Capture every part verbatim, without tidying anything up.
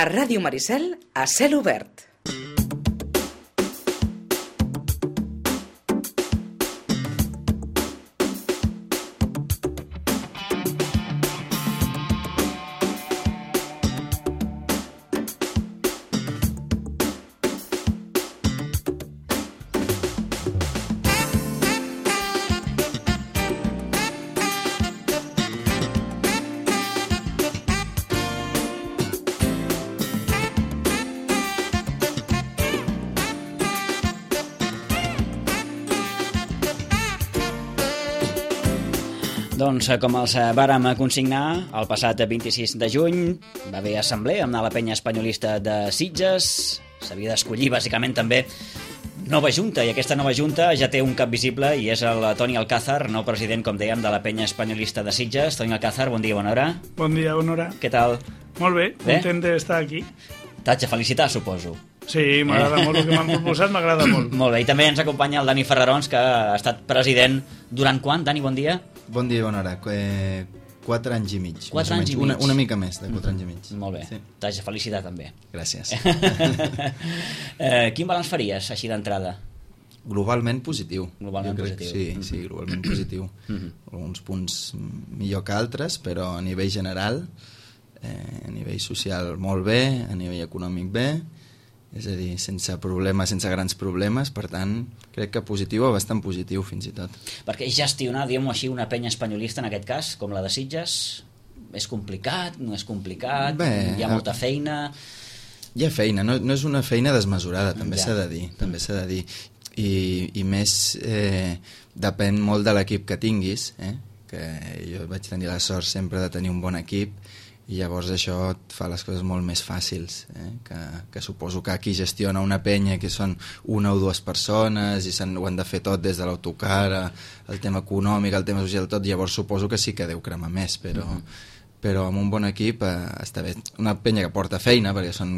A Ràdio Maricel, a cel obert. Doncs, com els vàrem consignar, el passat vint-i-sis de juny va haver assemblea amb la penya espanyolista de Sitges. S'havia d'escollir, bàsicament, també nova junta, i aquesta nova junta ja té un cap visible i és el Toni Alcázar, nou president, com dèiem, de la penya espanyolista de Sitges. Toni Alcázar, bon dia, bona hora. Bon dia, bona hora. Què tal? Molt bé, bé? Content d'estar aquí. T'haig de felicitar, suposo. Sí, m'agrada eh? molt el que m'han proposat, m'agrada molt. Molt bé, i també ens acompanya el Dani Ferrarons, que ha estat president durant quan? Dani, bon dia. Bon dia, bona hora. Eh, quatre anys i mig. Quatre anys i mig. Una, una mica més de quatre mm. anys i mig. Molt bé. Sí. T'haig de felicitar, també. Gràcies. eh, quin balanç faries, així d'entrada? Globalment positiu. Globalment jo crec, positiu. Sí, mm-hmm. sí, globalment positiu. Mm-hmm. Alguns punts millor que altres, però a nivell general, eh, a nivell social molt bé, a nivell econòmic bé, és a dir, sense problemes, sense grans problemes, per tant, crec que positiu o bastant positiu, fins i tot. Perquè gestionar, diguem-ho així, una penya espanyolista, en aquest cas, com la de Sitges, és complicat, no és complicat, bé, hi ha molta feina... Hi ha feina, no, no és una feina desmesurada, també ja. s'ha de dir, també s'ha de dir. I, i més, eh, depèn molt de l'equip que tinguis, eh? Que jo vaig tenir la sort sempre de tenir un bon equip, i llavors això et fa les coses molt més fàcils, eh? que, que suposo que aquí gestiona una penya que són una o dues persones i ho han de fer tot des de l'autocar, el tema econòmic, el tema social, tot, llavors suposo que sí que deu cremar més, però... Mm-hmm. però amb un bon equip eh, està bé. Una penya que porta feina, perquè són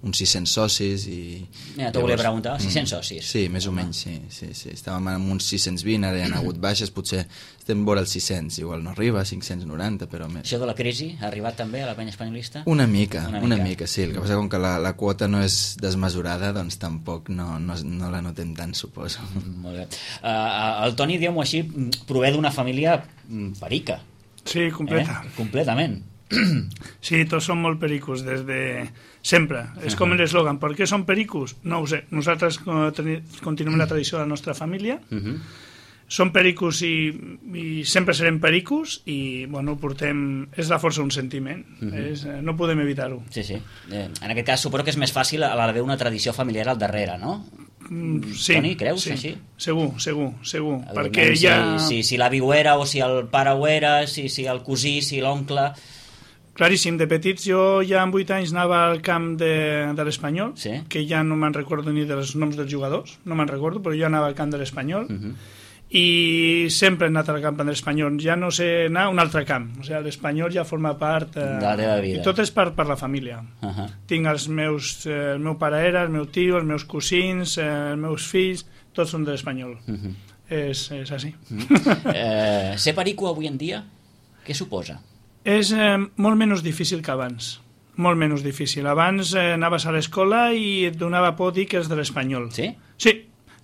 uns sis-cents socis i... Ja, t'ho volia preguntar, sis-cents socis? Sí, més o menys, sí, sí, sí. Estàvem amb uns sis-cents vint, ara hi ha hagut baixes, potser estem vora els sis-cents, igual no arriba, cinc-cents noranta, però més. Això de la crisi ha arribat també a la penya espanyolista? Una mica, una mica, una mica sí. El que passa com que la, la quota no és desmesurada, doncs tampoc no, no, no la notem tant, suposo. Molt bé. Uh, el Toni, diguem-ho així, prové d'una família perica. Sí, completa. Eh? Completament. Sí, tots som molt pericos, des de sempre. És com l'eslògan, per què som pericos? No ho sé. Nosaltres continuem la tradició de la nostra família. Uh-huh. Som pericos i, i sempre serem pericos i, bueno, portem... És la força d'un sentiment. Uh-huh. És, no podem evitar-ho. Sí, sí. Eh, en aquest cas suposo que és més fàcil a l'haver una tradició familiar al darrere, no? Sí, Toni, creus sí, així? Segur, segur, segur. Perquè si, ja... si, si l'avi ho era o si el pare ho era, si, si el cosí, si l'oncle... Claríssim, de petits jo ja amb vuit anys anava al camp de, de l'Espanyol, sí? Que ja no me'n recordo ni dels noms dels jugadors, no me'n recordo, però jo anava al camp de l'Espanyol, uh-huh. I sempre he anat al camp de l'Espanyol, ja no sé anar a un altre camp, o sigui, l'Espanyol ja forma part... Eh, de la teva vida. I tot és per, per la família. Uh-huh. Tinc els meus, eh, el meu pare era, el meu tio, els meus cosins, eh, els meus fills, tots són de l'Espanyol. Uh-huh. És, és així. Uh-huh. eh, ser perico avui en dia, què suposa? És eh, molt menys difícil que abans. Molt menys difícil. Abans eh, anaves a l'escola i et donava por dir que és de l'Espanyol. Sí? Sí.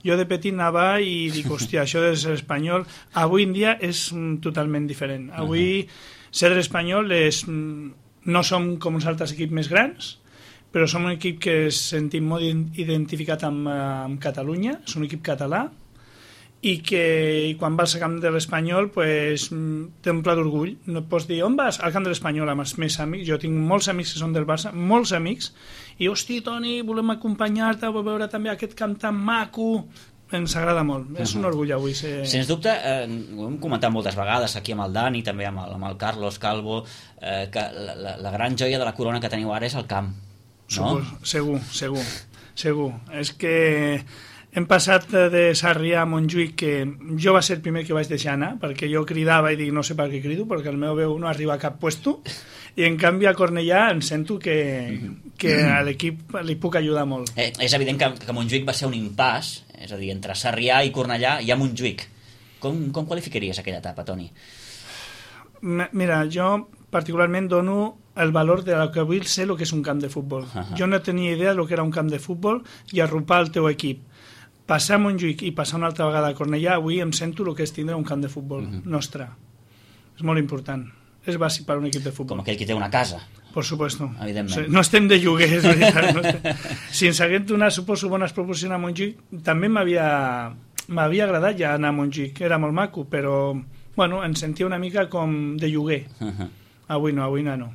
Jo de petit anava i dic, hòstia, això és l'Espanyol. Avui en dia és mm, totalment diferent. Avui uh-huh. ser de l'Espanyol és... Mm, no som com uns altres equips més grans, però som un equip que es sentim molt identificat amb, amb Catalunya, és un equip català, i que i quan vas al camp de l'Espanyol pues, té un pla d'orgull. No et pots dir, on vas? Al camp de l'Espanyol amb els meus amics. Jo tinc molts amics que són del Barça, molts amics, i hosti, Toni, volem acompanyar-te a veure també aquest camp tan maco. Ens agrada molt, és un orgull avui ser... Sens dubte, eh, ho hem comentat moltes vegades aquí amb el Dani, també amb el, amb el Carlos Calvo, eh, que la, la, la gran joia de la corona que teniu ara és el camp, no? Supos, segur, segur, segur. És que hem passat de Sarrià a Montjuïc, que jo va ser el primer que vaig deixar anar, perquè jo cridava i dic, no sé per què crido, perquè el meu veu no arriba a cap puesto, i en canvi a Cornellà em sento que, que a l'equip li puc ajudar molt. Eh, és evident que, que Montjuïc va ser un impàs, és a dir, entre Sarrià i Cornellà hi ha Montjuïc. Com, com qualificaries aquella etapa, Toni? Mira, jo particularment dono el valor de lo que vull ser el que és un camp de futbol. Uh-huh. Jo no tenia idea del que era un camp de futbol i arropar el teu equip. Passar a Montjuïc i passar una altra vegada a Cornellà, avui em sento el que és tindre un camp de futbol uh-huh. nostre. És molt important. És bàsic per a un equip de futbol. Com aquell que té una casa. Por supuesto. Evidentment. No estem de lloguer, és veritat. No estem... Si ens haguem donat, suposo, bones proporcions a Montjuïc, també m'havia m'havia agradat ja anar a Montjuïc. Era molt maco, però bueno, em sentia una mica com de lloguer. Uh-huh. Avui no, avui no. no.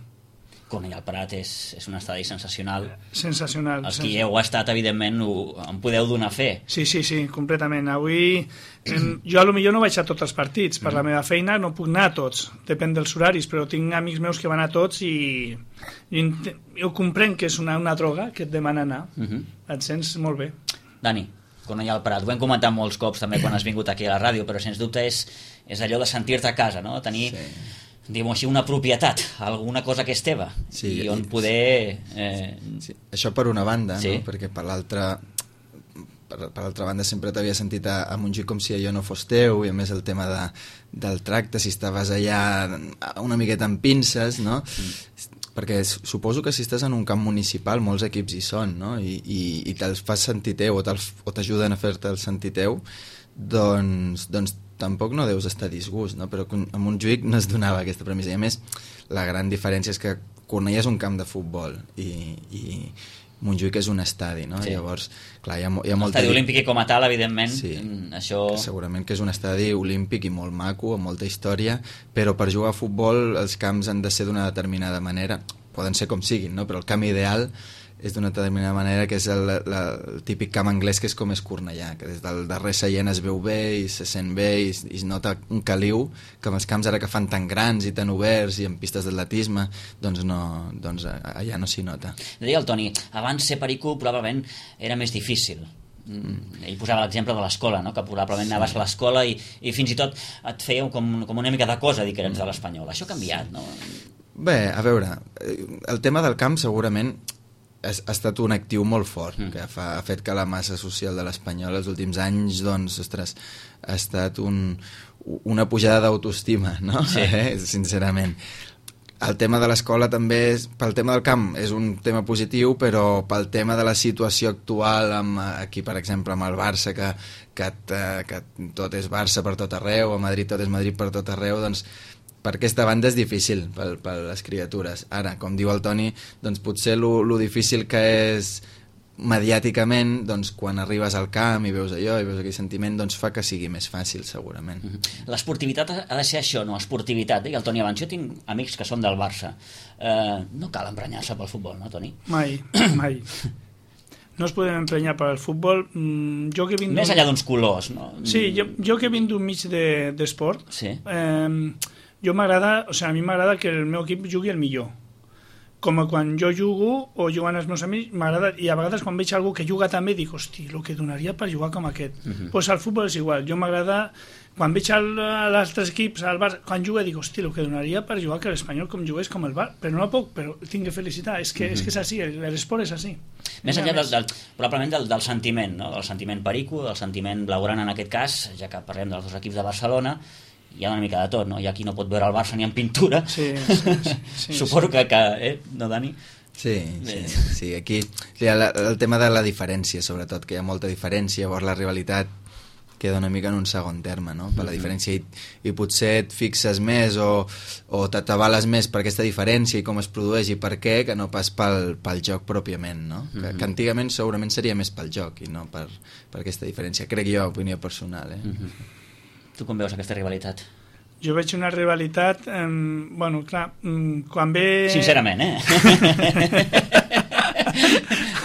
Cornellà al Prat és, és un estadi sensacional. Sensacional. Els qui heu estat, evidentment, ho, en podeu donar fe. Sí, sí, sí, completament. Avui, em, jo a lo millor no vaig a tots els partits. Per mm. la meva feina no puc anar a tots. Depèn dels horaris, però tinc amics meus que van a tots i, i jo comprenc que és una, una droga que et demana anar. Mm-hmm. Et sents molt bé. Dani, Cornellà al Prat, ho hem comentat molts cops també quan has vingut aquí a la ràdio, però sens dubte és, és allò de sentir-te a casa, no? Tenir... Sí. Diguem-ho així, una propietat, alguna cosa que és teva, sí, i on poder... Eh... Sí. Això per una banda, sí. no? Perquè per l'altra per, per l'altra banda sempre t'havia sentit a, a Montjuïc com si allò no fos teu, i a més el tema de, del tracte, si estaves allà una miqueta amb pinces, no? Mm. Perquè suposo que si estàs en un camp municipal molts equips hi són, no? I, i, i te'ls fas sentir teu o t'ajuden a fer-te'l sentir teu, doncs, doncs tampoc no deus estar a disgust, no? Però a Montjuïc no es donava aquesta premissa. I a més, la gran diferència és que Cornellà és un camp de futbol i, i Montjuïc és un estadi, no? Sí. Llavors, clar, hi ha, hi ha molta... L'estadi olímpic i com a tal, evidentment, sí, això... segurament que és un estadi olímpic i molt maco, amb molta història, però per jugar a futbol els camps han de ser d'una determinada manera, poden ser com siguin, no? Però el camp ideal és d'una determinada manera, que és el, el, el típic camp anglès, que és com és Cornellà, que des del darrer seient es veu bé i se sent bé i, i es nota un caliu que amb els camps ara que fan tan grans i tan oberts i amb pistes d'atletisme, doncs, no, doncs allà no s'hi nota. Deia el Toni, abans ser perico probablement era més difícil. Mm. Ell posava l'exemple de l'escola, no? Que probablement sí. anaves a l'escola i, i fins i tot et feia com, com una mica de cosa dir que eres de l'Espanyol. Això ha canviat, no? Bé, a veure, el tema del camp segurament ha estat un actiu molt fort, mm. que fa, ha fet que la massa social de l'Espanyol els últims anys, doncs, ostres, ha estat un, una pujada d'autoestima, no? Sí. Eh? Sincerament. El tema de l'escola també, és, pel tema del camp, és un tema positiu, però pel tema de la situació actual, amb, aquí, per exemple, amb el Barça, que, que, que tot és Barça per tot arreu, a Madrid tot és Madrid per tot arreu, doncs, per aquesta banda és difícil per, per les criatures. Ara, com diu el Toni, doncs potser lo, lo difícil que és mediàticament, doncs quan arribes al camp i veus allò i veus aquell sentiment, doncs fa que sigui més fàcil, segurament. Mm-hmm. L'esportivitat ha de ser això, no? Esportivitat. I el Toni abans, jo tinc amics que són del Barça. Eh, no cal emprenyar-se pel futbol, no, Toni? Mai, mai. No es podem emprenyar per al futbol. Jo que vinc més enllà d'uns colors, no? Sí, jo, jo que vinc d'un mig d'esport, de, sí. eh, jo m'agrada, o sigui, a mi m'agrada que el meu equip jugui el millor. Com quan jo jugo o juguen els meus amics, m'agrada, i a vegades quan veig algú que juga també dic, hosti, el que donaria per jugar com aquest. Doncs uh-huh. pues al futbol és igual, jo m'agrada, quan veig els altres equips, al Barça, quan juga dic, hosti, el que donaria per jugar que l'Espanyol com jugués com el Barça, però no puc, però tinc que felicitar, és que, uh-huh. és, que és així, l'esport és així. Més enllà del, del, probablement del, del sentiment, no? Del sentiment perico, del sentiment blaugrana en aquest cas, ja que parlem dels dos equips de Barcelona, hi ha una mica de tot, no? Hi ha qui no pot veure el Barça ni en pintura. Sí, sí, sí, sí, suposo sí. que, que... Eh? No, Dani? Sí, sí, sí. Aquí hi ha la, el tema de la diferència, sobretot, que hi ha molta diferència, llavors la rivalitat queda una mica en un segon terme, no? Per la diferència, i, i potser et fixes més o, o t'atabales més per aquesta diferència i com es produeix i per què, que no pas pel, pel joc pròpiament, no? Que, que antigament segurament seria més pel joc i no per, per aquesta diferència, crec jo, opinió personal, eh? Uh-huh. Tu com veus aquesta rivalitat? Jo veig una rivalitat, eh, bueno, clar, quan ve... Sincerament, eh?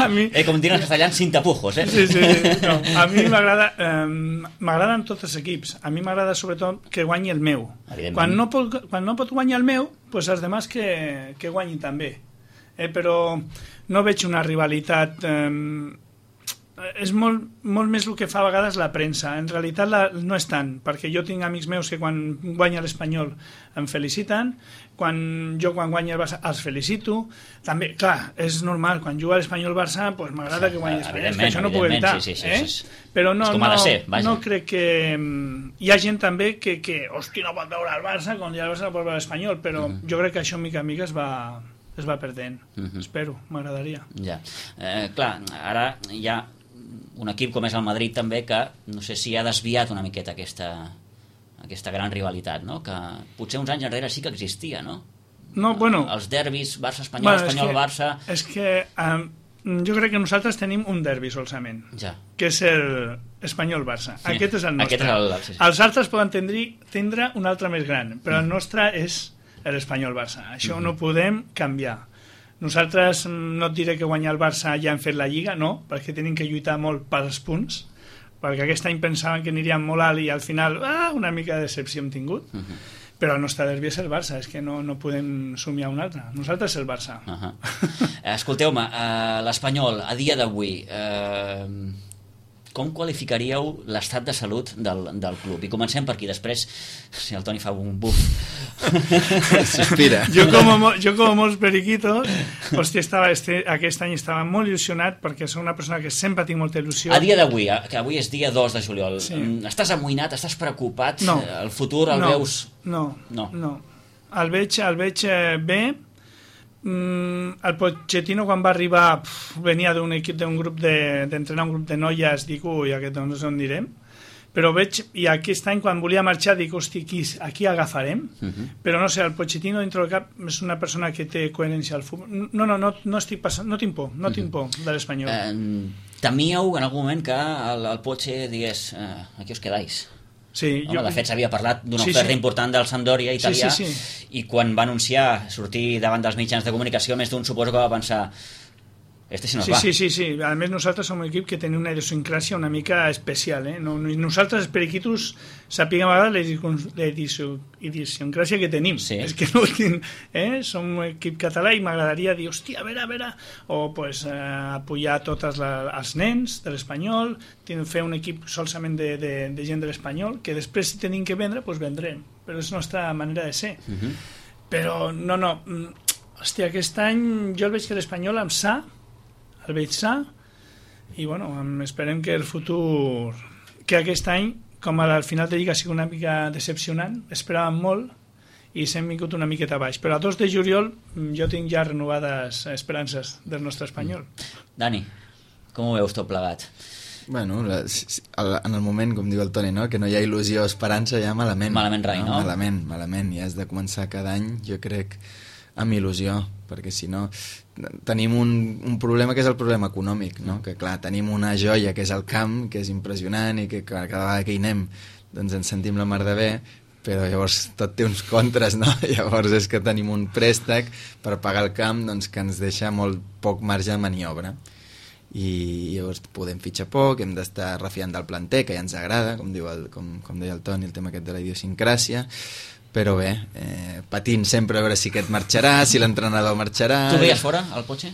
a mi... Eh, com diuen els castellans, sin tapujos, eh? Sí, sí, sí. No, a mi m'agrada, eh, m'agraden tots els equips. A mi m'agrada sobretot que guanyi el meu. Quan no pot, quan no pot guanyar el meu, pues els demás que, que guanyin també. Eh, però no veig una rivalitat... Eh, és molt, molt més el que fa a vegades la premsa. En realitat la, no és tant, perquè jo tinc amics meus que quan guanya l'Espanyol em feliciten, quan jo quan guanya el Barça els felicito. També, clar, és normal, quan juga l'Espanyol-Barça pues, m'agrada que guanyi l'Espanyol, és que això no puc evitar. Sí, sí, sí, eh? sí, sí. Però no, no, ser, no crec que... Hi ha gent també que, que hòstia, no pot veure el Barça, quan ja el Barça no pot veure l'Espanyol, però mm. jo crec que això mica en mica es va... es va perdent, uh-huh. espero, m'agradaria. Ja, eh, clar, ara hi ha un equip com és el Madrid també que no sé si ha desviat una miqueta aquesta, aquesta gran rivalitat, no? Que potser uns anys enrere sí que existia, no? No, bueno... Els derbis Barça-Espanyol, bueno, Espanyol-Barça... És que um, jo crec que nosaltres tenim un derbi solament, ja. que és el Espanyol-Barça. Sí. Aquest és el nostre. Aquest és el, sí, sí. Els altres poden tindre, tindre un altre més gran, però mm. el nostre és... l'Espanyol-Barça. Això mm-hmm. no podem canviar. Nosaltres no et diré que guanyar el Barça ja hem fet la Lliga, no, perquè tenim que lluitar molt pels punts, perquè aquest any pensaven que aniríem molt alt i al final ah, una mica de decepció hem tingut. Mm-hmm. Però el nostre derbi és el Barça, és que no, no podem somiar un altre. Nosaltres el Barça. Uh-huh. Escolteu-me, uh, l'Espanyol, a dia d'avui, uh, com qualificaríeu l'estat de salut del, del club? I comencem per aquí, després, si el Toni fa un buf. S'inspira. Jo com, jo com molts periquitos, hòstia, estava, este, aquest any estava molt il·lusionat perquè soc una persona que sempre tinc molta il·lusió. A dia d'avui, que avui és dia dos de juliol, sí. estàs amoïnat, estàs preocupat? No. El futur el no. veus... No, no, no. El veig, el veig bé. Mm, el Pochettino quan va arribar pf, venia d'un equip, d'un grup de, d'entrenar un grup de noies, dic, ui, aquest no sé on anirem. Però veig, i aquest any quan volia marxar dic, hosti, aquí, aquí agafarem. Uh-huh. Però no sé, el Pochettino dintre del cap és una persona que té coherència al futbol. No, no, no, no estic passant, no tinc por, no tinc por de l'Espanyol. Eh, temíeu en algun moment que el, el Poche digués, eh, aquí us quedais? Sí, Home, jo... De fet, s'havia parlat d'una sí, oferta sí. important del Sampdoria italià sí, sí, sí. i quan va anunciar sortir davant dels mitjans de comunicació, més d'un suposo que va pensar este se nos sí, va. Sí, sí, sí. A més, nosaltres som un equip que tenim una idiosincràsia una mica especial. Eh? No, nosaltres, els periquitos, sapiguem a vegades la idiosincràsia que tenim. Sí. És que no tinc, eh? Som un equip català i m'agradaria dir, hòstia, a veure, a veure, o pues, eh, apoyar tots els nens de l'Espanyol, fer un equip solament de, de, de gent de l'Espanyol, que després si tenim que vendre, pues vendrem. Però és la nostra manera de ser. Uh-huh. Però, no, no, hòstia, aquest any jo el veig que l'Espanyol amb sa el veig sa i bueno, esperem que el futur que aquest any, com al final de Lliga sigui una mica decepcionant, esperàvem molt i s'hem vingut una miqueta baix, però a dos de juliol jo tinc ja renovades esperances del nostre Espanyol. Dani, com ho veus tot plegat? Bueno, en el moment, com diu el Toni, no? que no hi ha il·lusió o esperança, ja malament. Malament rai, no? Malament, malament, i has de començar cada any, jo crec, amb il·lusió, perquè si no tenim un, un problema que és el problema econòmic, no? Que clar, tenim una joia que és el camp, que és impressionant i que cada vegada que hi anem doncs ens sentim la mar de bé, però llavors tot té uns contres, no? Llavors és que tenim un préstec per pagar el camp doncs, que ens deixa molt poc marge de maniobra i llavors podem fitxar poc, hem d'estar refiant del planter, que ja ens agrada, com, diu el, com, com deia el Toni, el tema aquest de la idiosincràsia, però bé, eh, patint sempre a veure si aquest marxarà, si l'entrenador marxarà... Tu veies fora, el Poche?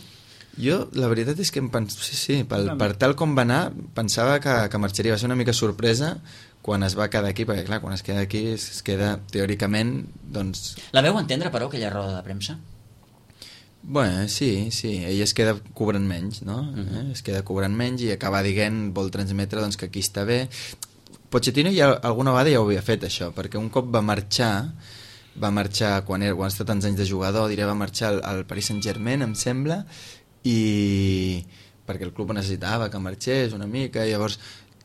Jo, la veritat és que em pens... sí, sí, pel, per tal com va anar, pensava que, que marxaria. Va ser una mica sorpresa quan es va quedar aquí, perquè clar, quan es queda aquí es queda teòricament, doncs... La veu entendre, però, aquella roda de premsa? Bé, sí, sí, ell es queda cobrant menys, no? Uh-huh. eh? Es queda cobrant menys i acaba dient, vol transmetre doncs, que aquí està bé... Pochettino ja alguna vegada ja ho havia fet això, perquè un cop va marxar va marxar quan, era, quan ha estat tants anys de jugador, diré, va marxar al, al Paris Saint-Germain, em sembla, i perquè el club necessitava que marxés una mica, i llavors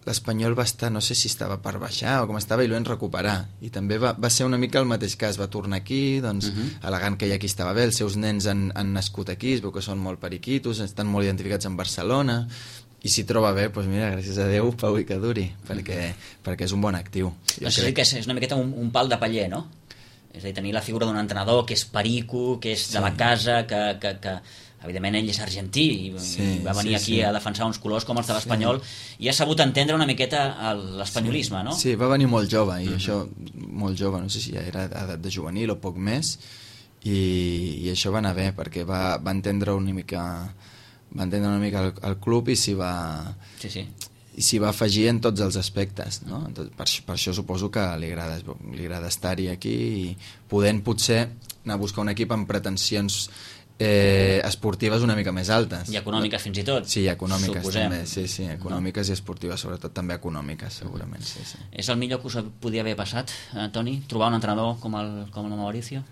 l'Espanyol va estar, no sé si estava per baixar o com estava, i l'ho vam recuperar, i també va, va ser una mica el mateix cas, va tornar aquí doncs, uh-huh. al·legant que ja aquí estava bé, els seus nens han, han nascut aquí, es veu que són molt periquitos, estan molt identificats amb Barcelona, i si troba bé, doncs mira, gràcies a Déu, pau i que duri, perquè, perquè és un bon actiu. Jo crec que és, és una miqueta un, un pal de paller, no? És a dir, tenir la figura d'un entrenador que és perico, que és sí. de la casa, que, que, que evidentment ell és argentí i, sí, i va venir sí, aquí sí. a defensar uns colors com els de l'Espanyol sí. i ha sabut entendre una miqueta l'espanyolisme, sí. no? Sí, va venir molt jove, i uh-huh. això, molt jove, no sé si ja era edat de juvenil o poc més, i, i això va anar bé, perquè va, va entendre una mica va entendre una mica el, el club i s'hi va... Sí, sí. i s'hi va afegir en tots els aspectes, no? Entonces, per, per això suposo que li agrada, li agrada estar-hi aquí i podent potser anar a buscar un equip amb pretensions eh, esportives una mica més altes. I econòmiques fins i tot. Sí, i econòmiques suposem. també, sí, sí, econòmiques no. I esportives, sobretot també econòmiques, segurament, sí, sí. És el millor que us podia haver passat, eh, Toni? Trobar un entrenador com el, com el Mauricio?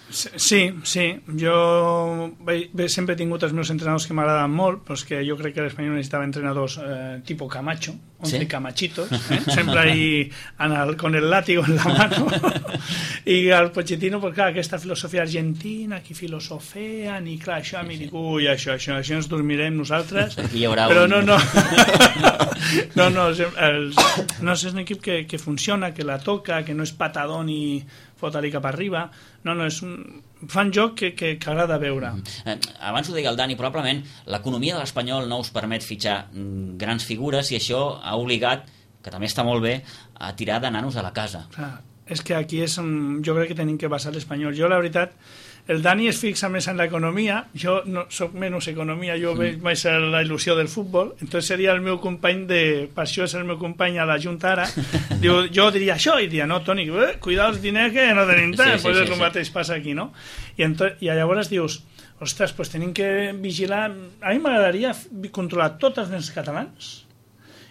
Sí, sí, jo bé, bé, sempre he tingut els meus entrenadors que m'agraden molt, però és que jo crec que l'Espanyol necessitava entrenadors eh, tipo Camacho, once ¿Sí? Camachitos, eh? Sempre ahí el, con el látigo en la mano, i al Pochettino, pues clar, aquesta filosofia argentina, que filosofean, i clar, això a mi dic, ui, això, això, això ens dormirem nosaltres, però un... no, no, no, no, els, no és un equip que, que funciona, que la toca, que no és patadón i fota-li cap arriba, no, no, és un... fan joc que, que, que agrada veure. Eh, abans ho deia el Dani, probablement l'economia de l'Espanyol no us permet fitxar grans figures i això ha obligat, que també està molt bé, a tirar de nanos a la casa. Clar, és que aquí és on jo crec que tenim que basar l'Espanyol. Jo, la veritat, el Dani es fixa més en l'economia, jo no, soc menys economia, jo veig més la il·lusió del futbol, entonces seria el meu company de... per això és el meu company a la Junta ara. Diu, jo diria això, i diria, no, Toni, eh, cuida els diners que no tenim tant, sí, sí, pues sí, és el sí. mateix passa aquí, no? I, ento... I llavors dius, ostres, pues tenim que vigilar... A mi m'agradaria controlar tots els nens catalans,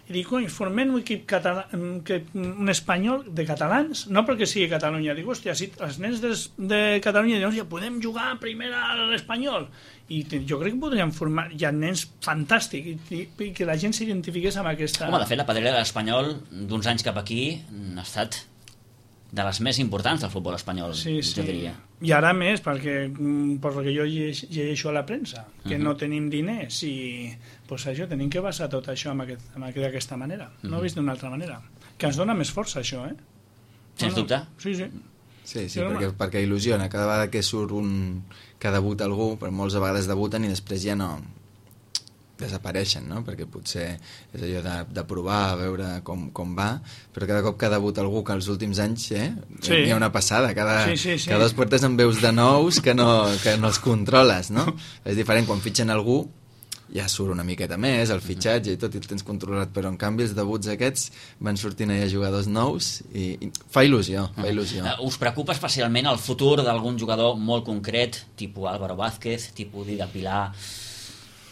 i dic, oi, formem un equip català, que, un espanyol de catalans, no perquè sigui Catalunya, dic, hòstia, si els nens de, de Catalunya diuen, ja podem jugar primer a l'Espanyol, i jo crec que podríem formar, hi ha nens fantàstics, i, i que la gent s'identifiqués amb aquesta... Home, de fet, la pedrera de l'Espanyol d'uns anys cap aquí ha estat de les més importants del futbol espanyol, sí, sí. jo diria. I ara més, perquè per el que jo llegeixo a la premsa, que uh -huh. no tenim diners i pues això, tenim que basar tot això amb aquest, amb aquest, d'aquesta manera. Uh -huh. No ho he vist d'una altra manera. Que ens dona més força, això, eh? Sens no, no. dubte. Sí, sí. Sí, sí, perquè, perquè il·lusiona. Cada vegada que surt un... que debuta algú, per molts a vegades debuten i després ja no... desapareixen, no? Perquè potser és allò de, de provar, a veure com, com va, però cada cop que debuta algú que els últims anys eh, sí. hi ha una passada, cada, sí, sí, sí. cada dos portes en veus de nous que no, que no els controles, no? És diferent, quan fitxen algú ja surt una miqueta més, el fitxatge i tot, i el tens controlat, però en canvi els debuts aquests van sortint allà jugadors nous i, i fa il·lusió, fa il·lusió. Uh, us preocupa especialment el futur d'algun jugador molt concret, tipus Álvaro Vázquez, tipus Dida Pilar...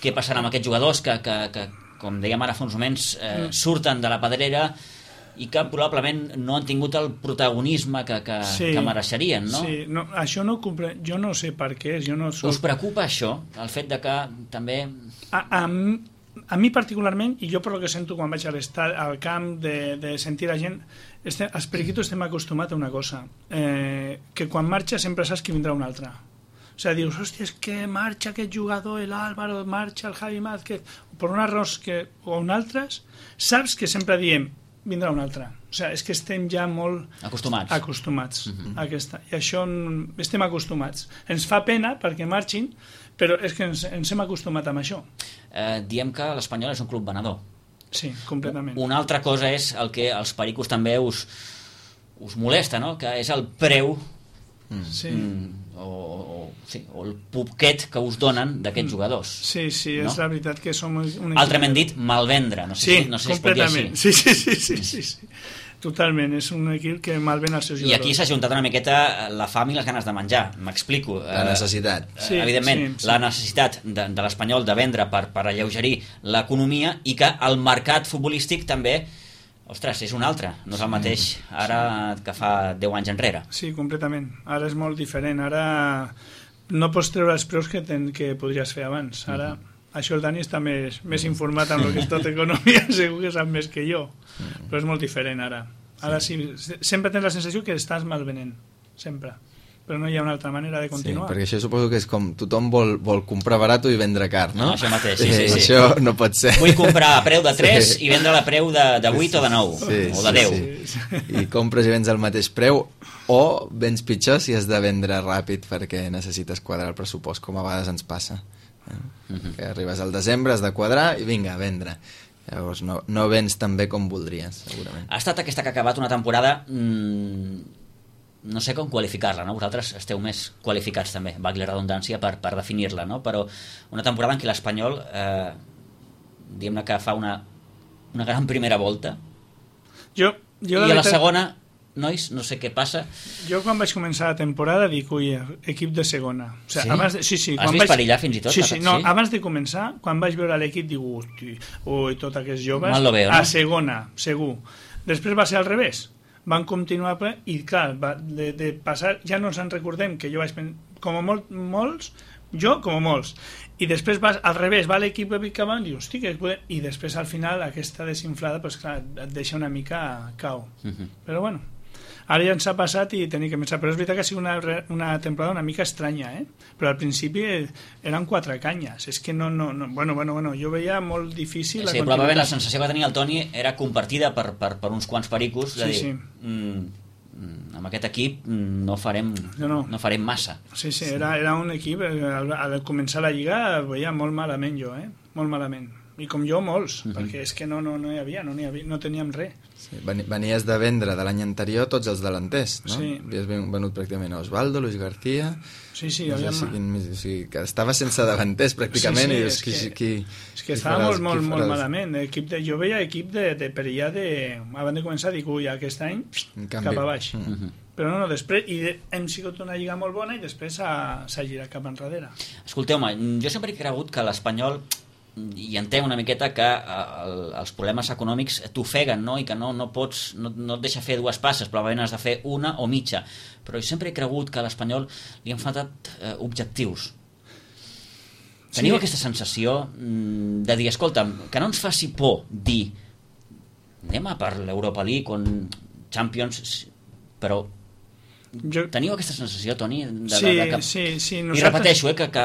Què passarà amb aquests jugadors que, que, que com dèiem ara fa uns moments, eh, surten de la pedrera i que probablement no han tingut el protagonisme que, que, sí, que mereixerien, no? Sí, no, això no compre... jo no sé per què és. Jo no soc... Us preocupa això, el fet de que també... A, a, a mi particularment, i jo per lo que sento quan vaig a al camp de, de sentir la gent, este, els periquitos estem acostumats a una cosa, eh, que quan marxa sempre saps que vindrà un altre. O sea, dius, hòstia, és que marxa aquest jugador, el Álvaro, marxa el Javi Mázquez, per una raó que, o un altres, saps que sempre diem, vindrà un altre. O sea, és que estem ja molt... Acostumats. Acostumats uh-huh. a aquesta. I això estem acostumats. Ens fa pena perquè marxin, però és que ens, ens hem acostumat amb això. Eh, diem que l'Espanyol és un club venedor. Sí, completament. Una altra cosa és el que els pericos també us, us molesta, no? Que és el preu... Mm. Sí. Mm, o, o, sí, o el poquet que us donen d'aquests jugadors. Sí, sí, no? És la veritat que som un... Altrament dit, malvendre. No sé sí, si, no sé completament. Si sí, sí, sí, sí, sí, sí. Totalment, és un equip que malven els seus jugadors. I aquí s'ha juntat una miqueta la fam i les ganes de menjar, m'explico. La necessitat. Eh, sí, evidentment, sí, sí. La necessitat de, de l'Espanyol de vendre per, per alleugerir l'economia i que el mercat futbolístic també... Ostres, és un altre, no és el mateix ara que fa deu anys enrere. Sí, completament. Ara és molt diferent. Ara no pots treure els preus que, ten, que podries fer abans. Ara, uh-huh. això el Dani està més, més informat amb el que és tot economia, segur que sap més que jo. Però és molt diferent ara. Ara sí, sempre tens la sensació que estàs malvenent. Sempre. Però no hi ha una altra manera de continuar. Sí, perquè això suposo que és com tothom vol, vol comprar barat i vendre car, no? No, això mateix, sí, sí, sí. Això no pot ser. Vull comprar a preu de tres sí. i vendre a preu de, de vuit o de nou, sí, o de deu. Sí, sí. I compres i vens al mateix preu, o vens pitjor si has de vendre ràpid perquè necessites quadrar el pressupost, com a vegades ens passa. Eh? Uh-huh. Que arribes al desembre, has de quadrar i vinga, a vendre. Llavors no, no vens tan bé com voldries, segurament. Ha estat aquesta que ha acabat una temporada... Mmm, no sé com qualificar-la, no? Vosaltres esteu més qualificats també, valgui la redundància, per, per definir-la, no? Però una temporada en què l'Espanyol eh, diguem-ne que fa una, una gran primera volta jo, jo i a la veritat, segona, nois, no sé què passa. Jo quan vaig començar la temporada dic, ui, equip de segona. O sigui, Sí? abans de, sí, sí, Has quan vist vaig, perillar fins i tot? Sí, sí, no, Sí? abans de començar, quan vaig veure l'equip, dic, ui, ui, tot aquests joves, Mal lo veo, no? a segona, segur. Després va ser al revés. Van continuar ple, i clar, va, de, de passar, ja no ens en recordem que jo vaig pensar, com a molt, molts, jo com a molts, i després vas al revés, va l'equip que va i dius, hosti, que podem... i després al final aquesta desinflada, pues, clar, et deixa una mica cau. Uh -huh. Però bueno, ara ja ens ha passat i tenim que pensar, però és veritat que ha sigut una, una temporada una mica estranya, eh? Però al principi eren quatre canyes, és que no, no, no bueno, bueno, bueno, jo veia molt difícil Sí, la probablement continuïtat. la sensació que tenia el Toni era compartida per, per, per uns quants pericos, de Sí, dir, sí. mm, mm, amb aquest equip mm, no farem, No, no. no farem massa. Sí, sí, era, era un equip, eh, al, al començar la Lliga el veia molt malament jo, eh? Molt malament. I com jo, molts, uh -huh. perquè és que no, no, no hi havia, no, hi havia, no teníem res. Sí, venies de vendre de l'any anterior tots els delanters, no? Sí. Havies venut pràcticament a Osvaldo, Luis García... Sí, sí, no sé havíem... si, quin, o sigui, que estava sense davanters pràcticament, Sí, sí, i dius, és qui, que- qui, És que qui estava farà molt, els- molt, qui molt farà els- malament. Equip de, jo veia equip de, de perillar de... Abans de començar dic, ui, aquest any En canvi, cap a baix. mm. Uh -huh. Però no, no, després... I de, hem sigut una lliga molt bona i després s'ha girat cap enrere. Escolteu-me, jo sempre he cregut que l'Espanyol, i entenc una miqueta que eh, el, els problemes econòmics t'ofeguen, no? I que no, no pots, no, no et deixa fer dues passes, probablement has de fer una o mitja, però jo sempre he cregut que a l'Espanyol li han faltat eh, objectius. Teniu Sí. aquesta sensació mm, de dir, escolta'm, que no ens faci por dir anem a per l'Europa League on Champions, però Jo, teniu aquesta sensació, Toni? De, sí, de, de que... sí, sí. I repeteixo, eh, que, que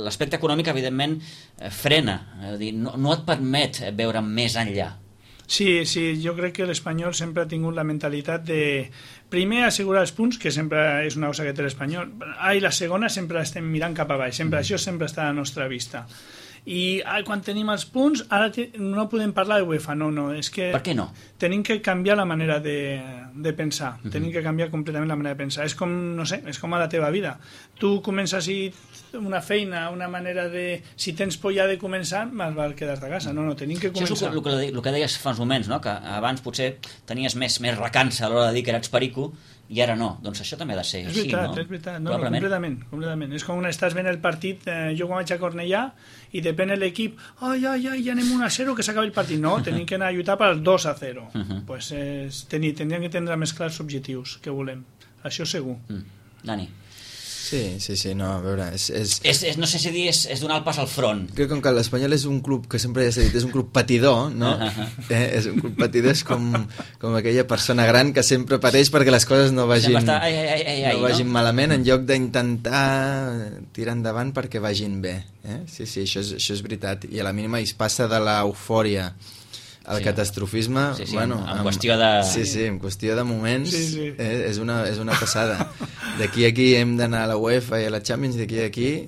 l'aspecte econòmic, evidentment, eh, frena. És a dir, no, no et permet veure més enllà. Sí, sí, jo crec que l'Espanyol sempre ha tingut la mentalitat de primer assegurar els punts, que sempre és una cosa que té l'Espanyol, ah, i la segona sempre estem mirant cap a baix, sempre, mm. això sempre està a la nostra vista. I ah, quan tenim els punts, ara te, no podem parlar de UEFA, no, no, és que... Per què no? Tenim que canviar la manera de, de pensar, Mhm. tenim que canviar completament la manera de pensar. És com, no sé, és com a la teva vida. Tu comences i una feina, una manera de... Si tens por ja de començar, més val quedar-te a casa. No, no, tenim que Això és començar. el, que- el, que, el que deies fa uns moments, no? Que abans potser tenies més, més recança a l'hora de dir que eres perico i ara no. Doncs això també ha de ser És així, veritat, no? és veritat. No, no, Probablement. completament, completament. És com quan estàs veient el partit, eh, jo quan vaig a Cornellà, i depèn de l'equip, ai, ai, ai, ja anem un a zero, que s'acabi el partit. No, tenim que anar a lluitar per al dos a zero. Uh -huh. Pues, eh, tenir, tindríem que tindre més clars objectius que volem. Això segur. Mm. Dani. Sí, sí, sí, no, a veure, és... és... És, és, no sé si dir, és, és donar el pas al front. Crec que com que l'Espanyol és un club que sempre ja s'ha dit, és un club patidor, no? Uh -huh. eh, és un club patidor, és com, com aquella persona gran que sempre pateix perquè les coses no vagin, Sempre està, ai, ai, ai, ai, ai, no vagin no? malament, en lloc d'intentar tirar endavant perquè vagin bé. Eh? Sí, sí, això és, això és veritat. I a la mínima es passa de l'eufòria al Sí. catastrofisme, Sí, sí, bueno, en- en qüestió de- Sí, sí, en qüestió de moments, Sí, sí. Eh, és, una, és una passada. D'aquí a aquí hem d'anar a la UEFA i a la Champions, d'aquí a aquí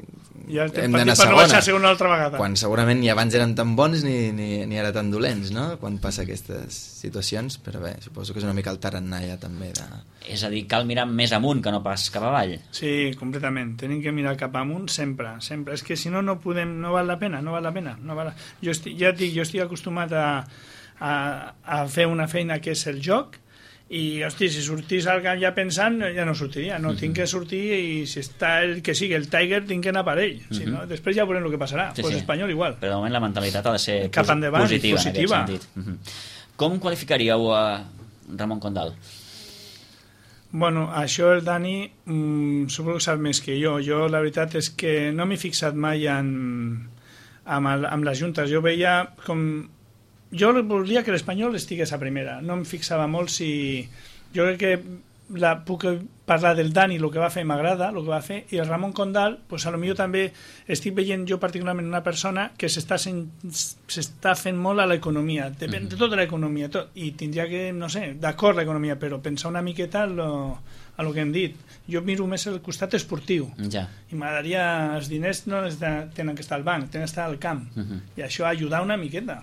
Ja estem hem partit d'anar a per no baixar segona. a segona altra vegada. Quan segurament ni abans eren tan bons ni, ni, ni ara tan dolents, no? Quan passa aquestes situacions, però bé, suposo que és una mica el tarannà ja també de... És a dir, cal mirar més amunt que no pas cap avall. Sí, completament. Tenim que mirar cap amunt sempre, sempre. És que si no, no podem, no val la pena, no val la pena. No val la... Jo estic, ja et dic, jo estic acostumat a, a, a fer una feina que és el joc, i, hosti, si sortís al camp ja pensant, ja no sortiria. No, uh -huh. tinc que sortir i si està el que sigui, el Tiger, tinc que anar per ell. Si no, després ja veurem el que passarà. Sí, pues sí. Espanyol igual. Però de moment la mentalitat ha de ser Cap posi- endavant, positiva, positiva. en aquest sentit. Uh -huh. Com qualificaríeu a Ramon Condal? Bueno, això el Dani mmm, suposo que sap més que jo. Jo la veritat és que no m'he fixat mai en, amb, el, amb les juntes. Jo veia com... Jo volia que l'Espanyol estigués a primera. No em fixava molt si... Jo crec que la, puc parlar del Dani, el que va fer m'agrada, el que va fer, i el Ramon Condal, pues a lo millor també estic veient jo particularment una persona que s'està s'està fent molt a l'economia, depèn de tota l'economia, tot, i tindria que, no sé, d'acord l'economia, però pensar una miqueta en lo, a lo que hem dit. Jo miro més el costat esportiu, Ja. i m'agradaria, els diners no es de, tenen que estar al banc, tenen que estar al camp, Uh -huh. i això ajudar una miqueta.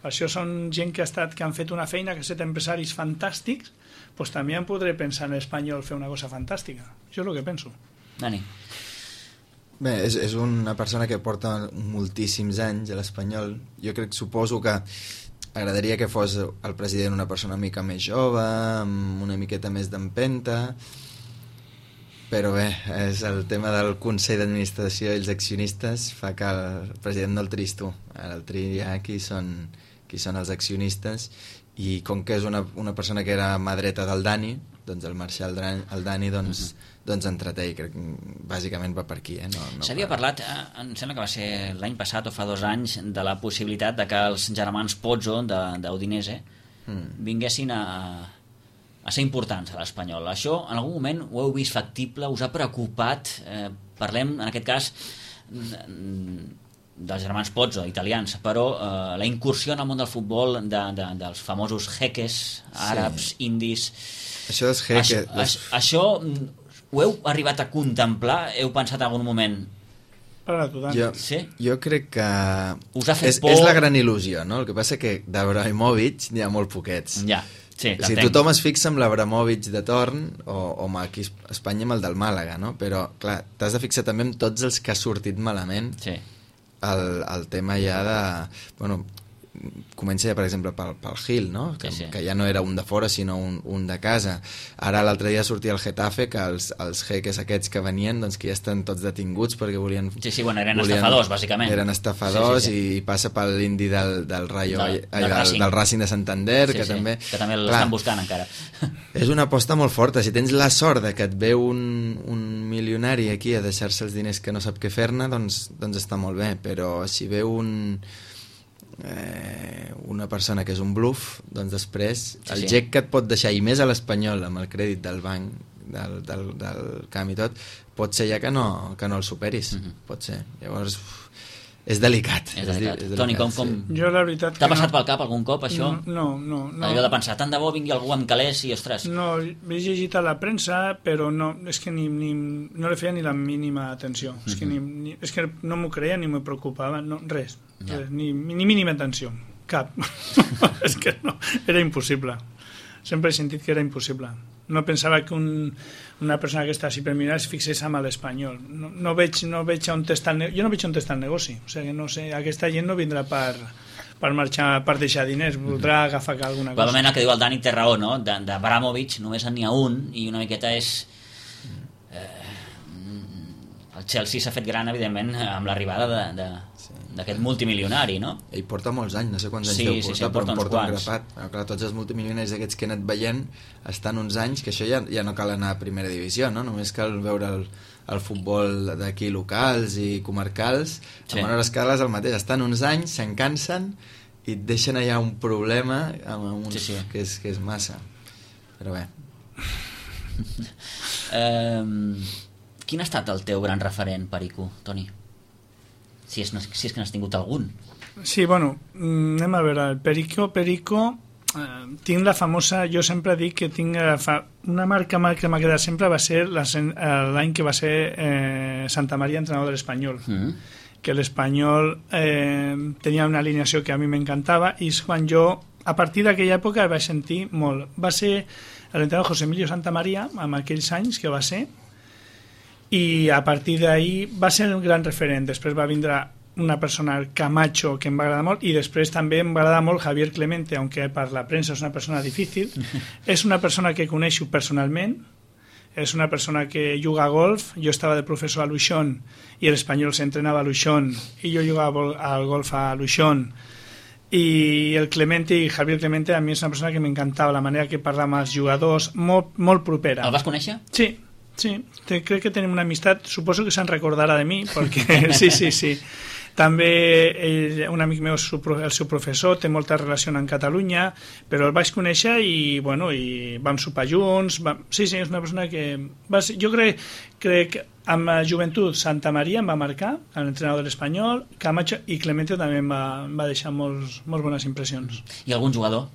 Això són gent que ha estat, que han fet una feina, que han estat empresaris fantàstics, doncs també em podré pensar en l'Espanyol fer una cosa fantàstica. Això és el que penso. Dani. Bé, és, és una persona que porta moltíssims anys a l'Espanyol. Jo crec, suposo que agradaria que fos el president una persona una mica més jove, amb una miqueta més d'empenta, però bé, és el tema del Consell d'Administració i els accionistes fa que el president no el triïs tu. Ara el triïa qui són, qui són els accionistes, i com que és una, una persona que era mà dreta del Dani, doncs el Marcial el Dani doncs, uh-huh. doncs entreté, i crec que bàsicament va per aquí. Eh? No, no S'havia per... parlat, eh, em sembla que va ser l'any passat o fa dos anys, de la possibilitat de que els germans Pozzo d'Udinese mm. vinguessin a, a ser importants a l'Espanyol. Això en algun moment ho heu vist factible? Us ha preocupat? Eh, parlem, en aquest cas, dels germans Pozzo, italians, però eh, la incursió en el món del futbol de, de, dels famosos jeques àrabs, sí. indis... Això dels jeques... Això, les... això ho heu arribat a contemplar? Heu pensat en algun moment? Jo, sí? jo crec que us ha fet és, por... és la gran il·lusió, no? El que passa que d'Abramovich n'hi ha molt poquets. Ja, sí, o sigui, tothom es fixa amb l'Abramovich de torn o, o aquí a Espanya amb el del Màlaga, no? Però, clar, t'has de fixar també en tots els que ha sortit malament. Sí. El, el tema ja de... Bueno, comença ja, per exemple, pel, pel Gil, no? Que, sí, sí. que ja no era un de fora, sinó un, un de casa. Ara l'altre dia sortia el Getafe, que els, els jeques aquests que venien, doncs que ja estan tots detinguts perquè volien... Sí, sí, bueno, eren volien, estafadors, bàsicament. Eren estafadors, sí, sí, sí. I passa pel l'indi del, del Rayo, del, del, del, del, del Racing de Santander, sí, que sí, també... Que també l'estan buscant encara. És una aposta molt forta. Si tens la sort de que et veu un, un milionari aquí a deixar-se els diners que no sap què fer-ne, doncs, doncs està molt bé, però si veu un... Eh, una persona que és un bluff, doncs després sí, el sí. gec que et pot deixar, i més a l'Espanyol amb el crèdit del banc del, del, del camp i tot, pot ser ja que no, que no el superis. Uh-huh. Pot ser, llavors uf, és delicat, és delicat. És delicat. Toni, com, com... Sí. Jo la veritat t'ha passat no... pel cap algun cop això? No, no, no. Allò de pensar, tant de bo vingui algú amb calés i ostres. No, he llegit a la premsa, però no, és que ni, ni, no li feia ni la mínima atenció. Uh-huh. És, que ni, ni, és que no m'ho creia ni m'ho preocupava, no, res, ja. res ni, ni mínima atenció, cap. És que no, era impossible. Sempre he sentit que era impossible. No pensava que un, una persona que està així per mirar es fixés amb l'Espanyol. No, no veig, no veig on està el negoci. Jo no veig on està el negoci. O sigui, no sé, aquesta gent no vindrà per, per marxar, per deixar diners, voldrà agafar alguna cosa. Probablement el que diu el Dani té raó, no? D'Abramovich només n'hi ha un, i una miqueta és... Eh, el Chelsea s'ha fet gran, evidentment, amb l'arribada de... de... d'aquest multimilionari, no? Ell porta molts anys, no sé quants anys sí, deu sí, portar, sí, porta però uns porta un quants. grapat. Però, clar, tots els multimilionaris aquests que he anat veient estan uns anys, que això ja, ja no cal anar a primera divisió, no? Només cal veure el, el futbol d'aquí locals i comarcals, sí. A menor escala és el mateix, estan uns anys, se'n cansen i et deixen allà un problema amb uns, sí, sí. Que, és, que és massa. Però bé. um, quin ha estat el teu gran referent, Perico, Toni? Si és, si és que n'has tingut algun. Sí, bueno, anem a veure, el Perico, Perico, eh, tinc la famosa, jo sempre dic que tinc fa, una marca que m'ha quedat sempre va ser l'any que va ser eh, Santa Maria entrenador de l'Espanyol, mm. que l'Espanyol eh, tenia una alineació que a mi m'encantava, i és quan jo, a partir d'aquella època, vaig sentir molt. Va ser l'entrenador José Emilio Santa Maria, amb aquells anys que va ser, i a partir d'ahir va ser un gran referent. Després va vindre una persona, Camacho, que em va agradar molt, i després també em va agradar molt Javier Clemente, aunque per la premsa és una persona difícil. És una persona que coneixo personalment, és una persona que juga a golf. Jo estava de professor a Luixón i l'Espanyol s'entrenava a Luixón i jo jugava al golf a Luixón, i el Clemente i Javier Clemente a mi és una persona que m'encantava la manera que parlava amb els jugadors, molt, molt propera. El vas conèixer? Sí. Sí, te, crec que tenim una amistat, suposo que se'n recordarà de mi, perquè sí, sí, sí. També ell, un amic meu és el seu professor, té molta relació en Catalunya, però el vaig conèixer i, bueno, i vam sopar junts. Va... Sí, sí, és una persona que... Va ser... Jo crec, crec que amb la joventut Santa Maria em va marcar, l'entrenador de l'Espanyol, Camacho i Clemente també em va, em va deixar molts, molt bones impressions. I algun jugador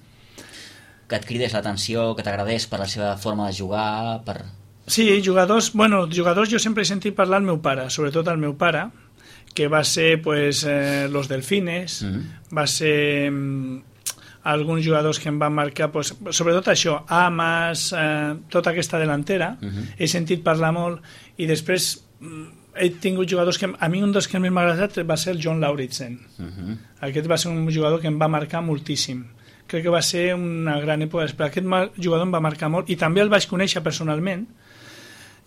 que et cridés l'atenció, que t'agradés per la seva forma de jugar, per... Sí, jugadors, bueno, jugadors jo sempre he sentit parlar al meu pare, sobretot al meu pare, que va ser pues, eh, los Delfines, mm-hmm. va ser mm, alguns jugadors que em van marcar, pues, sobretot això, Amas, eh, tota aquesta delantera, mm-hmm. he sentit parlar molt, i després he tingut jugadors que... A mi un dels que més m'ha agradat va ser el John Lauritsen. Uh-huh. Aquest va ser un jugador que em va marcar moltíssim. Crec que va ser una gran època. Però aquest jugador em va marcar molt, i també el vaig conèixer personalment.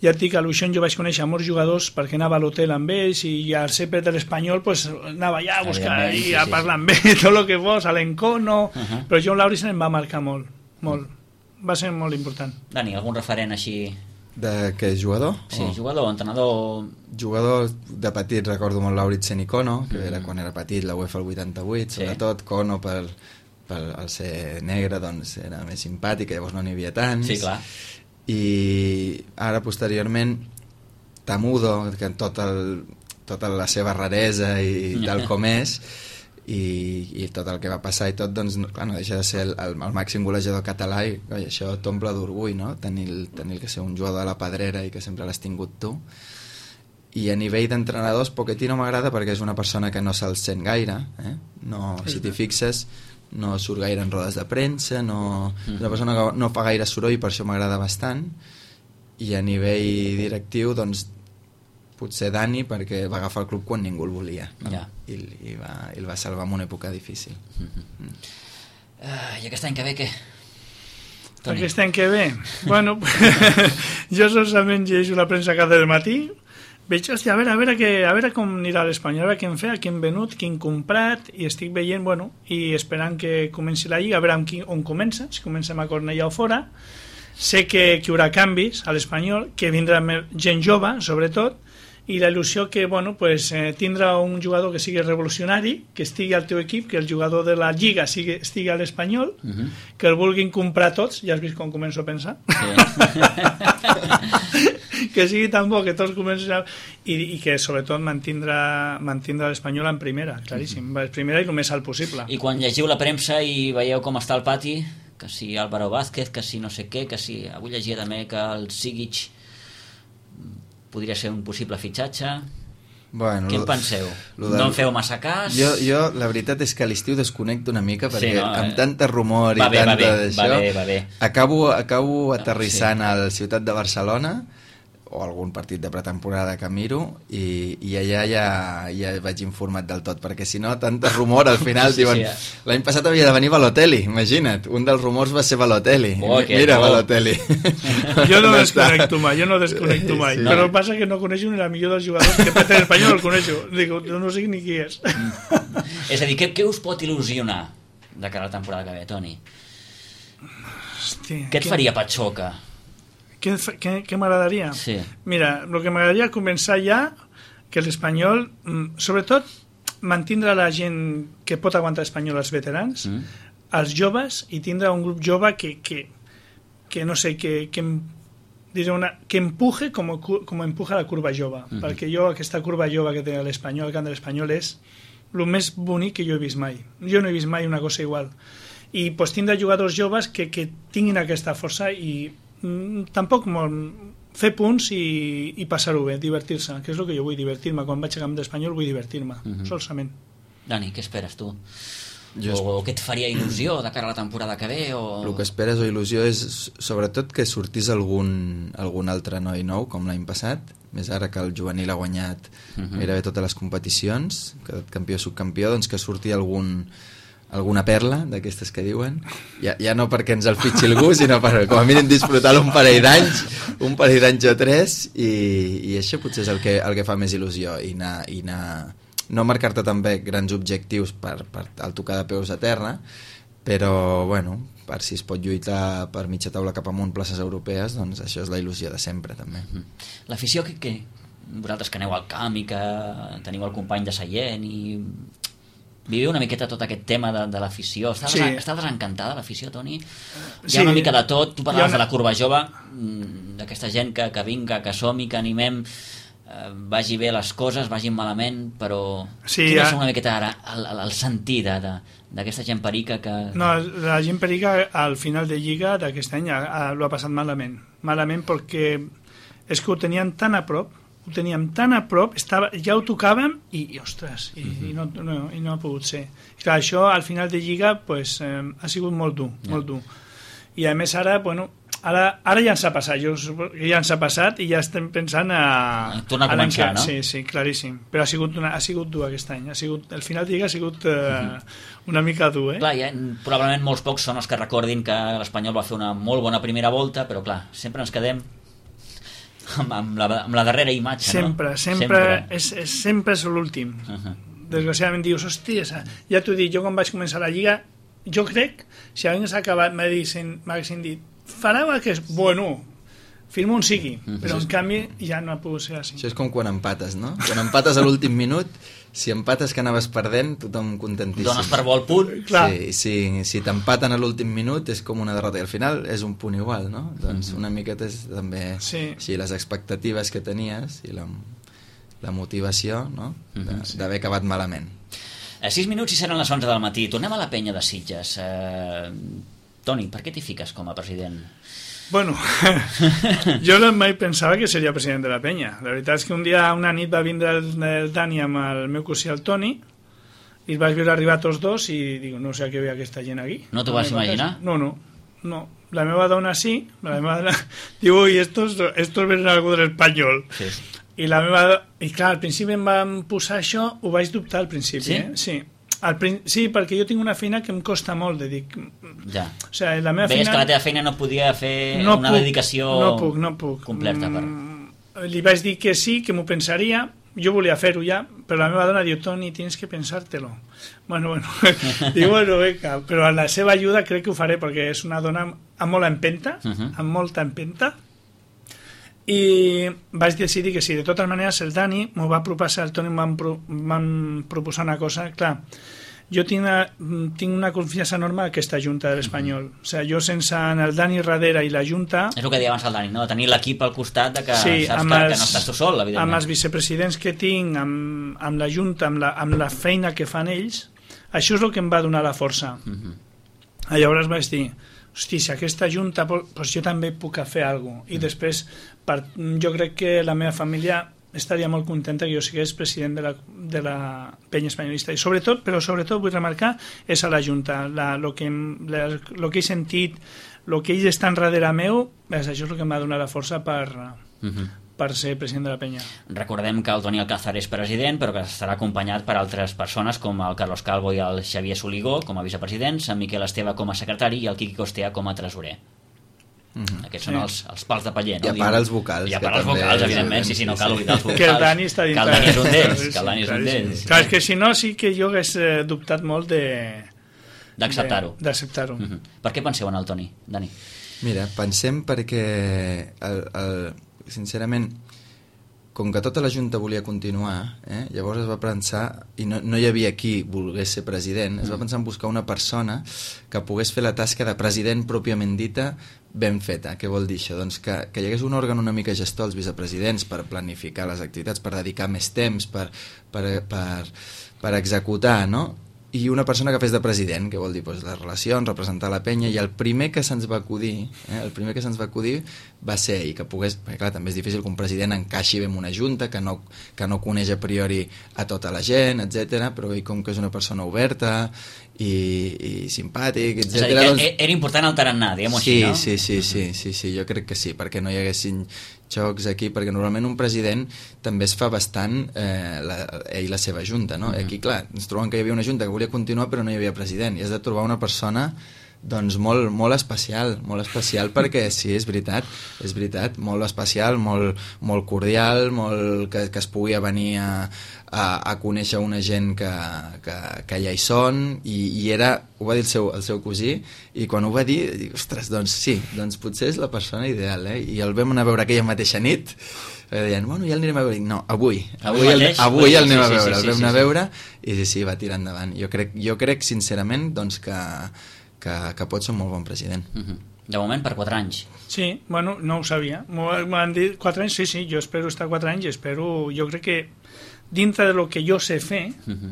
Ja et dic, a l'Uixón jo vaig conèixer molts jugadors perquè anava a l'hotel amb ells, i al C P de l'Espanyol pues, anava allà a buscar i sí, a sí. parlar amb ell, tot el que fos, a l'Encono, uh-huh. però John Lauritsen em va marcar molt, molt. Va ser molt important. Dani, algun referent així... De què, jugador? Sí, o... jugador, entrenador... Jugador de petit, recordo molt Lauritsen i Kono, que mm. era quan era petit, la UEFA el vuitanta-vuit, sí. sobretot Kono per, per el ser negre, doncs era més simpàtic, llavors no n'hi havia tants. Sí, clar. I ara, posteriorment, Tamudo, que tot el, tota la seva raresa i tal com és, i, i tot el que va passar i tot, doncs, clar, no deixa de ser el, el, el màxim golejador català, i oi, això t'omple d'orgull, no? Tenir, tenir que ser un jugador de la Pedrera i que sempre l'has tingut tu. I a nivell d'entrenadors, Pochettino m'agrada perquè és una persona que no se'l sent gaire, eh? No, si t'hi fixes, no surt gaire en rodes de premsa, no, és una persona que no fa gaire soroll, per això m'agrada bastant. I a nivell directiu, doncs, potser Dani, perquè va agafar el club quan ningú el volia, no? Ja. I, i, va, i el va salvar en una època difícil. Mm-hmm. mm. uh, I aquest any que ve què? Toni. Aquest any que ve? Bueno, jo solament llegeixo la premsa cada matí, veig, hòstia, a veure, a veure, que, a veure com anirà l'Espanyol, a veure què hem fet, què hem venut, què hem comprat, i estic veient, bueno, i esperant que comenci la Lliga, a veure on, on comença, si comencem a Cornellà o fora. Sé que, que hi haurà canvis a l'Espanyol, que vindrà gent jove, sobretot, i la il·lusió que, bueno, pues, eh, tindrà un jugador que sigui revolucionari, que estigui al teu equip, que el jugador de la Lliga sigui, estigui a l'Espanyol, uh-huh. que el vulguin comprar tots, ja has vist com començo a pensar, sí. que sigui tan bo que tots comencen a... I, i que sobretot mantindrà, mantindrà l'Espanyol en primera, claríssim, uh-huh. primera i el més alt possible. I quan llegiu la premsa i veieu com està el pati, que si Álvaro Vázquez, que si no sé què, que si... Avui llegia també que el Sigic podria ser un possible fitxatge. Bueno, què en penseu? Del... No en feu massa cas? Jo, jo la veritat és que a l'estiu desconnecto una mica perquè sí, no? amb tanta rumor va i bé, tanta va bé, d'això va bé, va bé. acabo, acabo aterrissant sí. al Ciutat de Barcelona o algun partit de pretemporada que miro i, i allà ja, ja vaig informat del tot, perquè si no, tanta rumor al final sí, diuen, sí, ja. L'any passat havia de venir Balotelli, imagina't, un dels rumors va ser Balotelli, oh, mira bo. Balotelli. Jo no desconnecto mai, jo no desconnecto mai, sí, sí. Però passa que no coneixo ni la millor dels jugadors que per l'Espanyol el coneixo, dic, no sé ni qui és. És a dir, què, què us pot il·lusionar de cara a la temporada que ve, Toni? Hòstia, què et que... faria patxoca? Què, què, què m'agradaria? Sí. Mira, el que m'agradaria començar ja, que l'Espanyol, sobretot, mantindre la gent que pot aguantar l'Espanyol, els veterans, mm. els joves, i tindre un grup jove que, que, que no sé, que, que, diré una, que empuje com, com empuja la curva jove, mm-hmm. perquè jo aquesta curva jove que té l'Espanyol, el camp de l'Espanyol, és el més bonic que jo he vist mai. Jo no he vist mai una cosa igual. I pues, tindre jugadors joves que, que tinguin aquesta força i tampoc molt, fer punts i, i passar-ho bé, divertir-se, que és el que jo vull, divertir-me. Quan vaig a camp d'Espanyol vull divertir-me, uh-huh. solament. Dani, què esperes tu? Jo o, o què et faria il·lusió de cara a la temporada que ve? O... El que esperes o il·lusió és sobretot que sortís algun, algun altre noi nou, com l'any passat, més ara que el juvenil ha guanyat uh-huh. gairebé totes les competicions, que campió subcampió, doncs que surti algun alguna perla d'aquestes que diuen, ja, ja no perquè ens el fitxi algú, sinó per com a mínim disfrutar-lo un parell d'anys un parell d'anys o tres, i, i això potser és el que, el que fa més il·lusió, i anar, i anar no marcar-te també grans objectius per, per el tocar de peus a terra, però bueno, per si es pot lluitar per mitja taula cap amunt places europees, doncs això és la il·lusió de sempre també. L'afició que, que vosaltres que aneu al camp i que teniu el company de seient i viviu una miqueta tot aquest tema de, de l'afició. Està, sí. des, està desencantada l'afició, Toni? Hi ha sí. una mica de tot. Tu parlaves una... de la curva jove, d'aquesta gent que, que vinga, que som i que animem, eh, vagi bé les coses, vagin malament, però sí, quin ja... és una miqueta ara el, el, el sentir d'aquesta gent perica que... No, la gent perica al final de Lliga d'aquest any l'ho ha passat malament. Malament perquè és que ho tenien tan a prop, ho teníem tan a prop, estava, ja ho tocàvem i, i ostres, i, uh-huh. i, no, no, i no ha pogut ser. Clar, això al final de Lliga pues, eh, ha sigut molt dur, yeah. molt dur. I a més ara, bueno, ara, ara ja ens ha passat, jo suposo que ja ens ha passat i ja estem pensant a... Tornar a començar, a no? Sí, sí, claríssim. Però ha sigut, una, ha sigut dur aquest any. Ha sigut, el final de Lliga ha sigut eh, uh-huh. una mica dur, eh? Clar, ja, probablement molts pocs són els que recordin que l'Espanyol va fer una molt bona primera volta, però clar, sempre ens quedem amb, amb, la, amb la darrera imatge, sempre, no? Sempre, sempre. És, és, sempre és l'últim. Uh-huh. Desgraciadament dius, hòstia, ja t'ho dic, jo quan vaig començar la Lliga, jo crec, si hagués acabat, m'haguessin dit, fareu aquest... Bueno, firma on sigui, mm-hmm. però en canvi ja no ha pogut ser així. Això és com quan empates, no? Quan empates a l'últim minut, si empates que anaves perdent, tothom contentíssim. Dones per bo el punt. Clar. Sí, sí, si t'empaten a l'últim minut és com una derrota i al final és un punt igual, no? Doncs mm-hmm. una miqueta és també sí. així, les expectatives que tenies i la, la motivació, no? Mm-hmm. D'haver acabat malament. A sis minuts i seran les onze del matí. Tornem a la penya de Sitges. Eh, Toni, per què t'hi fiques com a president? Bueno, jo no mai pensava que seria president de la penya. La veritat és que un dia, una nit, va vindre el, el Dani amb el meu cosí, el Toni, i els vaig veure arribar tots dos i dic, no sé a què ve aquesta gent aquí. No t'ho vas imaginar? No, no, no. La meva dona sí, la meva dona diu, ui, estos, estos venen algú de l'Espanyol. Sí. I la meva... I clar, al principi em van posar això, ho vaig dubtar al principi, sí? eh? Sí. Al prin... Sí, perquè jo tinc una feina que em costa molt de dir... Ja. O sigui, la meva Veies feina... que la teva feina no podia fer no una puc, dedicació no puc, no puc. completa. Per... Mm, li vaig dir que sí, que m'ho pensaria, jo volia fer-ho ja, però la meva dona diu, Toni, tienes que pensártelo. Bueno, bueno, dic, bueno, venga, però amb la seva ajuda crec que ho faré, perquè és una dona amb molta empenta, uh -huh. amb molta empenta, i vaig decidir que sí. De totes maneres, el Dani m'ho va proposar, el Toni em van, pro, van proposar una cosa, clar, jo tinc una, tinc una confiança enorme en aquesta Junta de l'Espanyol. Mm-hmm. O sigui, jo sense el Dani darrere i la Junta... És el que deia abans el Dani, no? Tenir l'equip al costat de que sí, saps que, els, que no estàs tu sol, evidentment. Amb els vicepresidents que tinc, amb, amb la Junta, amb la, amb la feina que fan ells, això és el que em va donar la força. Mm-hmm. Llavors vaig dir, hosti, si aquesta Junta, doncs jo també puc fer alguna cosa. I mm. després, per, jo crec que la meva família estaria molt contenta que jo sigués president de la, de la penya espanyolista. I sobretot, però sobretot vull remarcar, és a la Junta. El que, la, lo que he sentit, el que ells estan darrere meu, és, això és el que em va donar la força per, mm-hmm. per ser president de la penya. Recordem que el Toni Alcázar és president, però que estarà acompanyat per altres persones com el Carlos Calvo i el Xavier Soligó com a vicepresidents, en Miquel Esteve com a secretari i el Quiqui Costea com a tresorer. Mm-hmm. Aquests sí. són els, els pals de paller, no? I a part els vocals. I a part els vocals, evidentment, sí, sí, no cal oblidar els vocals. Que el Dani està dintre. Que el Dani és un d'ells. Que el Dani és un d'ells. Clar, és que si no, sí que jo hagués dubtat molt de... d'acceptar-ho. D'acceptar-ho. Mm-hmm. Per què penseu en el Toni, Dani? Mira, pensem perquè, el, el, sincerament, com que tota la Junta volia continuar, eh, llavors es va pensar, i no, no hi havia qui volgués ser president, es va pensar en buscar una persona que pogués fer la tasca de president pròpiament dita ben feta. Què vol dir això? Doncs que, que hi hagués un òrgan una mica gestor als vicepresidents per planificar les activitats, per dedicar més temps, per, per, per, per executar, no? I una persona que fes de president, que vol dir doncs, les relacions, representar la penya, i el primer que se'ns va acudir, eh, el primer que se'ns va acudir va ser ell, que pogués, perquè clar, també és difícil que un president encaixi bé en una junta, que no, que no coneix a priori a tota la gent, etcètera, però ell com que és una persona oberta i, i simpàtic, etcètera. És a dir, doncs... era important el tarannà, diguem-ho sí, així, no? Sí, sí, sí, sí, sí, jo crec que sí, perquè no hi haguessin xocs aquí, perquè normalment un president també es fa bastant eh, la, ell la seva junta, no? Mm-hmm. Aquí, clar, ens trobem que hi havia una junta que volia continuar però no hi havia president, i has de trobar una persona doncs molt, molt especial, molt especial perquè sí, és veritat, és veritat, molt especial, molt, molt cordial, molt que, que es pugui venir a, a, a conèixer una gent que, que, que ja hi són, i, i era, ho va dir el seu, el seu cosí, i quan ho va dir, dic, ostres, doncs sí, doncs potser és la persona ideal, eh? I el vam anar a veure aquella mateixa nit, eh, deien, bueno, ja el anirem a veure, no, avui, avui, avui, el, avui el anem a veure, el vam anar a veure, i sí, sí, va tirar endavant. Jo crec, jo crec sincerament, doncs que Que, que pot ser un molt bon president. Uh-huh. De moment per quatre anys. Sí, bueno, no ho sabia. M'han dit quatre anys, sí, sí, jo espero estar quatre anys i espero, jo crec que dintre de lo que jo sé fer, uh-huh.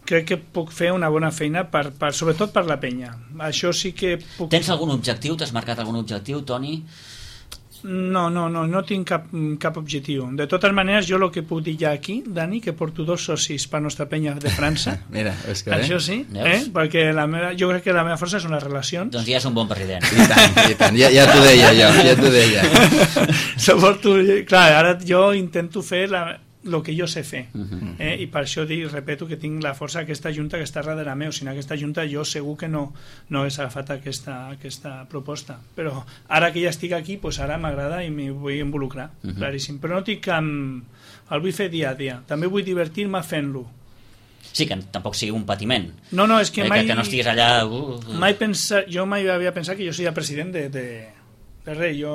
crec que puc fer una bona feina, per, per, sobretot per la penya. Això sí que puc... Tens algun objectiu? T'has marcat algun objectiu, Toni? No, no, no, no tinc cap, cap objectiu. De totes maneres, jo el que puc dir ja aquí, Dani, que porto dos socis per nostra penya de França. Mira, és que bé. Això sí, eh? Perquè la meva, jo crec que la meva força són les relacions. Doncs ja és un bon president. I tant, i tant, ja, ja t'ho deia jo, ja t'ho deia. Suporto, clar, ara jo intento fer la, el que jo sé fer, uh-huh. eh? I per això dic, repeto que tinc la força d'aquesta junta que està darrere meu. Si no aquesta junta jo segur que no, no hagués agafat aquesta, aquesta proposta, però ara que ja estic aquí, pues ara m'agrada i m'hi vull involucrar, uh-huh. claríssim, però no tinc cap... el vull fer dia a dia, també vull divertir-me fent-lo. Sí, que tampoc sigui un patiment. No, no, és que eh, mai... Que, que no estiguis allà... Uh, uh. Mai pensa, jo mai havia pensat que jo seria president de... de de res, jo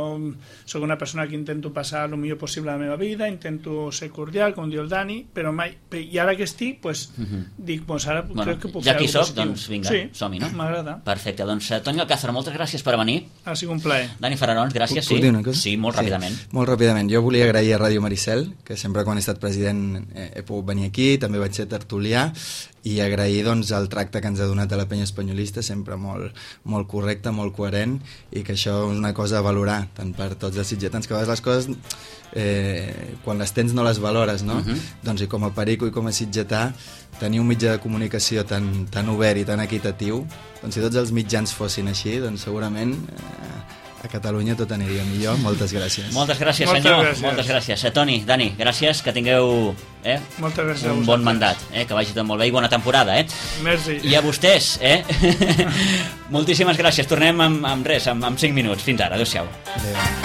sóc una persona que intento passar el millor possible a la meva vida, intento ser cordial, com diu el Dani, però mai, i ara que estic, pues, uh-huh. dic, pues ara bueno, crec que puc ja fer alguna cosa positiu. Doncs vinga, sí, som-hi, no? M'agrada. Perfecte, doncs Toni Alcázar, moltes gràcies per venir. Ha sigut un plaer. Dani Fararons, gràcies, puc, sí. Puc dir una cosa? Sí, molt sí, ràpidament. Molt ràpidament. Jo volia agrair a Ràdio Maricel, que sempre quan he estat president eh, he pogut venir aquí, també vaig ser tertulià, i agrair doncs, el tracte que ens ha donat a la penya espanyolista, sempre molt, molt correcte, molt coherent, i que això és una cosa a valorar, tant per tots els sitgetans, que a vegades les coses, eh, quan les tens no les valores, no? Uh-huh. Doncs i com a perico i com a sitgetà, tenir un mitjà de comunicació tan, tan obert i tan equitatiu, doncs si tots els mitjans fossin així, doncs segurament... Eh, a Catalunya tot aniria millor. Moltes gràcies. Moltes gràcies, Moltes senyor. Gràcies. Moltes gràcies. Eh, Toni, Dani, gràcies, que tingueu eh, Moltes gràcies un bon mandat, eh, que vagi tot molt bé i bona temporada. Eh? Merci. I a vostès, eh? moltíssimes gràcies. Tornem amb, amb res, amb, amb cinc minuts. Fins ara. Adéu-siau. Adéu.